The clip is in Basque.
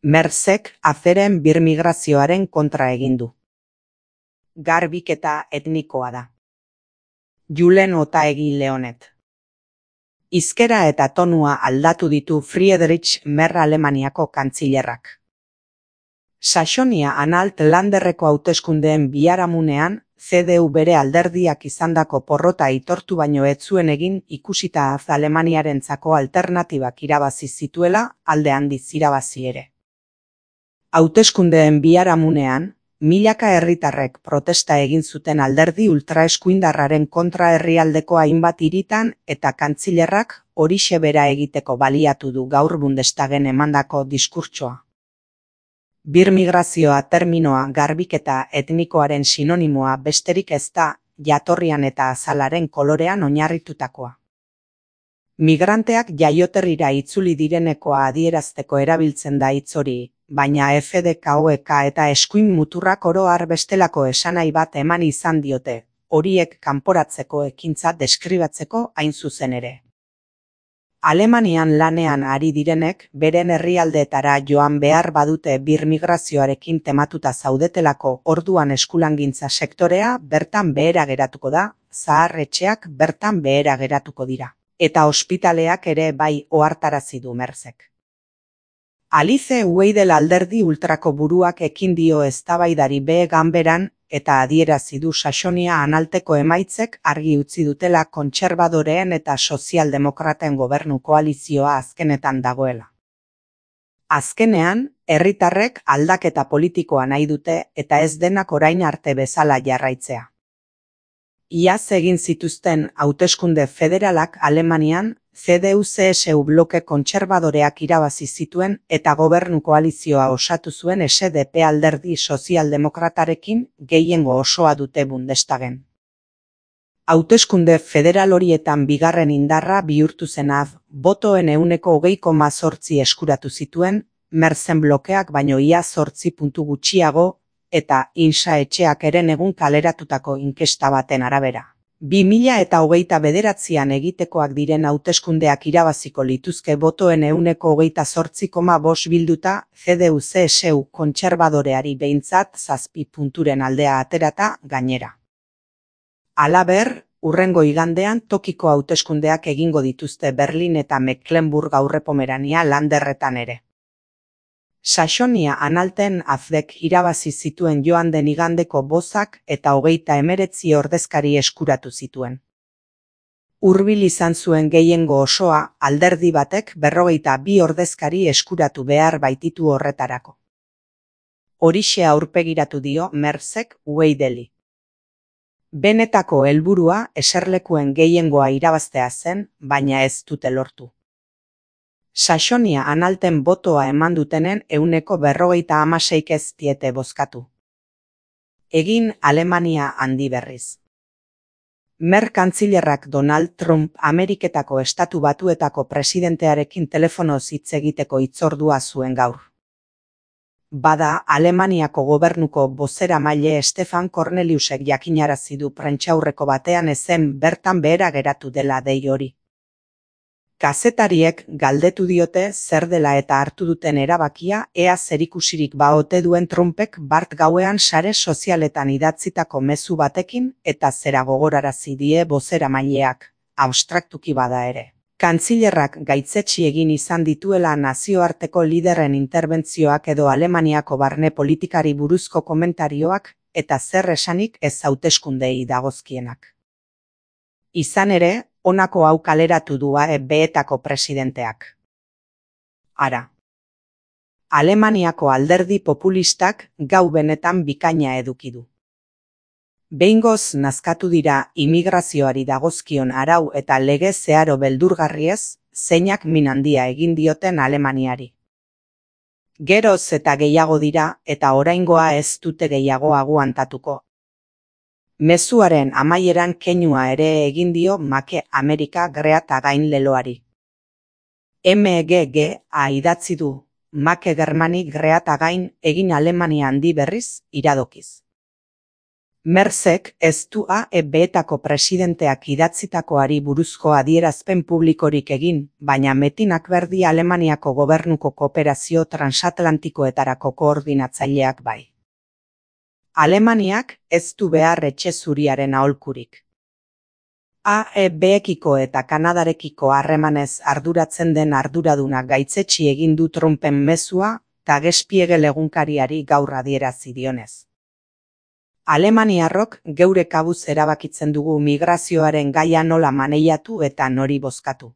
Merzek aferen birmigrazioaren kontra egin du. Garbiketa etnikoa da. Julen Otaegi Leonet. Hizkera eta tonua aldatu ditu Friedrich Merz Alemaniako kantzilerrak. Saxonia-Anhalt Landerreko hauteskundeen biharamunean, CDU bere alderdiak izandako porrota aitortu baino ez zuen egin ikusita Alemaniarentzako alternatibak irabazi zituela, alde handiz irabazi ere. Hauteskundeen biharamunean, milaka herritarrek protesta egin zuten alderdi ultraeskuindarraren kontra herrialdeko hainbat hiritan eta kantzilerrak horixe bera egiteko baliatu du gaur Bundestagen emandako diskurtsoa. Birmigrazioa terminoa garbiketa etnikoaren sinonimoa besterik ez da, jatorrian eta azalaren kolorean oinarritutakoa. Migranteak jaioterrira itzuli direnekoa adierazteko erabiltzen da hitz hori, baina FDKOek eta eskuin muturrak oro har bestelako esanahi bat eman izan diote, horiek kanporatzeko ekintza deskribatzeko hain zuzen ere. Alemanian lanean ari direnek beren herrialdeetara joan behar badute birmigrazioarekin tematuta zaudetelako orduan eskulangintza sektorea bertan behera geratuko da, zahar-etxeak bertan behera geratuko dira, eta ospitaleak ere bai ohartarazi du Merzek. Alice Weidel alderdi ultrako buruak ekin dio eztabaidari behe ganberan eta adierazi du Saxonia-Anhalteko emaitzek argi utzi dutela kontserbadoreen eta sozialdemokraten gobernu koalizioa azkenetan dagoela. Azkenean, herritarrek aldaketa politikoa nahi dute eta ez denak orain arte bezala jarraitzea. Iaz egin zituzten hauteskunde federalak Alemanian, CDU-CSU bloke kontserbadoreak irabazi zituen eta gobernu koalizioa osatu zuen SDP alderdi sozialdemokratarekin gehiengo osoa dute Bundestagen. Hauteskunde federal horietan bigarren indarra bihurtu zen botoen 20,8% eskuratu zituen, Merzen blokeak baino ia 8 puntu gutxiago, eta Insa etxeak eren egun kaleratutako inkesta baten arabera. 2029an egitekoak diren hauteskundeak irabaziko lituzke botoen 28,5% bilduta, CDU-CSU kontserbadoreari behintzat 7 punturen aldea aterata gainera. Halaber, hurrengo igandean tokiko hauteskundeak egingo dituzte Berlin eta Mecklenburg Aurrepomerania Landerretan ere. Saxonia-Anhalten AfDek irabazi zituen joan den igandeko bozak eta 39 ordezkari eskuratu zituen. Hurbil izan zuen gehiengo osoa, alderdi batek 42 ordezkari eskuratu behar baititu horretarako. Horixe aurpegiratu dio Merzek Weideli. Benetako helburua eserlekuen gehiengoa irabaztea zen, baina ez dute lortu. Saxonia-Anhalten botoa eman dutenen 46% ez diete bozkatu. Egin Alemania handi berriz. Merz kantzilerrak Donald Trump Ameriketako Estatu Batuetako presidentearekin telefonoz hitz egiteko hitzordua zuen gaur. Bada, Alemaniako gobernuko bozeramaile Stefan Corneliusek jakinarazi du prentsaurreko batean ezen bertan behera geratu dela dei hori. Kazetariek galdetu diote zer dela eta hartu duten erabakia ea zerikusirik baote duen Trumpek bart gauean sare sozialetan idatzitako mezu batekin eta zera gogorarazi die bozeramaileak, abstraktuki bada ere. Kantzilerrak gaitzetsi egin izan dituela nazioarteko liderren interbentzioak edo Alemaniako barne politikari buruzko komentarioak eta zer esanik ez hauteskundei dagozkienak. Izan ere, honako hau kaleratu du beetako presidenteak. Ara. Alemaniako alderdi populistak gau benetan bikaina eduki du. Behingoz nazkatu dira imigrazioari dagozkion arau eta lege zeharo beldurgarriez, zeinak min handia egin dioten Alemaniari. Geroz eta gehiago dira eta oraingoa ez dute gehiago aguantatuko. Mezuaren amaieran keinua ere egin dio Make Amerika Great Again leloari. MGG idatzi du, Make Germany Great Again egin Alemania handi berriz iradokiz. Merzek ez du AEB-etako presidenteak idatzitakoari buruzko adierazpen publikorik egin, baina Metinak berdi Alemaniako gobernuko kooperazio transatlantikoetarako koordinatzaileak bai. Alemaniak ez du behar etxe zuriaren aholkurik. AEB-ekiko eta Kanadarekiko harremanez arduratzen den arduraduna gaitzetsi egin du Trumpen mezua Der Spiegel egunkariari gaur adierazi dionez. Alemaniarrok geure kabuz erabakitzen dugu migrazioaren gaia nola maneiatu eta nori bozkatu.